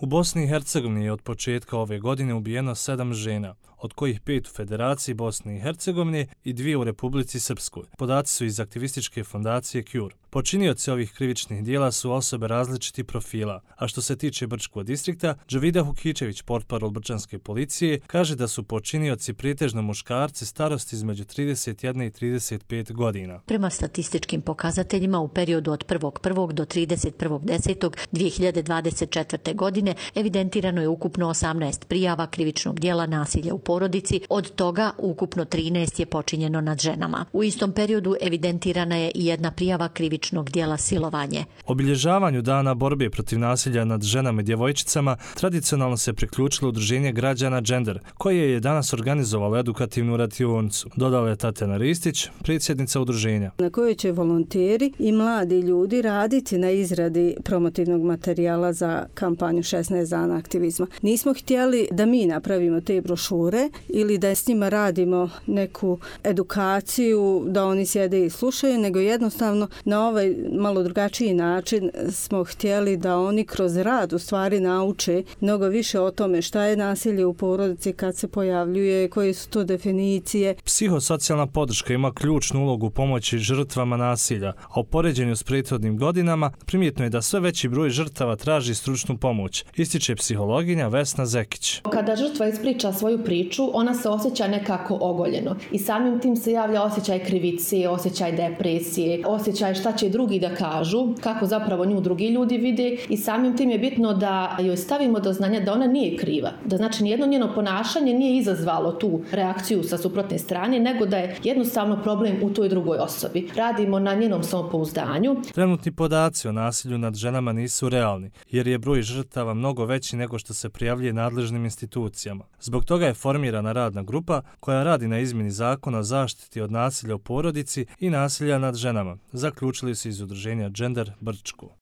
U Bosni i Hercegovini je od početka ove godine ubijeno 7 žena, od kojih 5 u Federaciji Bosne i Hercegovine i 2 u Republici Srpskoj. Podaci su iz aktivističke fondacije CURE. Počinioci ovih krivičnih dijela su osobe različitih profila, a što se tiče Brčkog distrikta, Džavida Hukičević, portparol brčanske policije, kaže da su počinioci pretežno muškarci starosti između 31 i 35 godina. Prema statističkim pokazateljima u periodu od 1.1. do 31.10.2024. godine evidentirano je ukupno 18 prijava krivičnog dijela nasilja u porodici, od toga ukupno 13 je počinjeno nad ženama. U istom periodu evidentirana je i jedna prijava krivičnog dijela silovanje. Obilježavanju dana borbe protiv nasilja nad ženama i djevojčicama tradicionalno se priključilo udruženje građana Gender, koje je danas organizovalo edukativnu radionicu, dodala je Tatjana Ristić, predsjednica udruženja. Na kojoj će volonteri i mladi ljudi raditi na izradi promotivnog materijala za kampanju 16 dana aktivizma. Nismo htjeli da mi napravimo te brošure ili da s njima radimo neku edukaciju, da oni sjede i slušaju, nego jednostavno na ovaj malo drugačiji način smo htjeli da oni kroz rad u stvari nauče mnogo više o tome šta je nasilje u porodici, kad se pojavljuje, koje su to definicije. Psihosocijalna podrška ima ključnu ulogu u pomoći žrtvama nasilja, a u poređenju s prethodnim godinama primjetno je da sve veći broj žrtava traži stručnu pomoć, ističe psihologinja Vesna Zekić. Kada žrtva ispriča svoju priču, ona se osjeća nekako ogoljeno i samim tim se javlja osjećaj krivice, osjećaj depresije, osjećaj šta će drugi da kažu, kako zapravo nju drugi ljudi vide i samim tim je bitno da joj stavimo do znanja da ona nije kriva. Da znači nijedno njeno ponašanje nije izazvalo tu reakciju sa suprotne strane, nego da je jednostavno problem u toj drugoj osobi. Radimo na njenom samopouzdanju. Trenutni podaci o nasilju nad ženama nisu realni, jer je broj žrtava mnogo veći nego što se prijavljuje nadležnim institucijama. Zbog toga je formirana radna grupa koja radi na izmjeni zakona o zaštiti od nasilja u porodici i nasilja nad ženama, zaključili su iz udruženja Gender Brčko.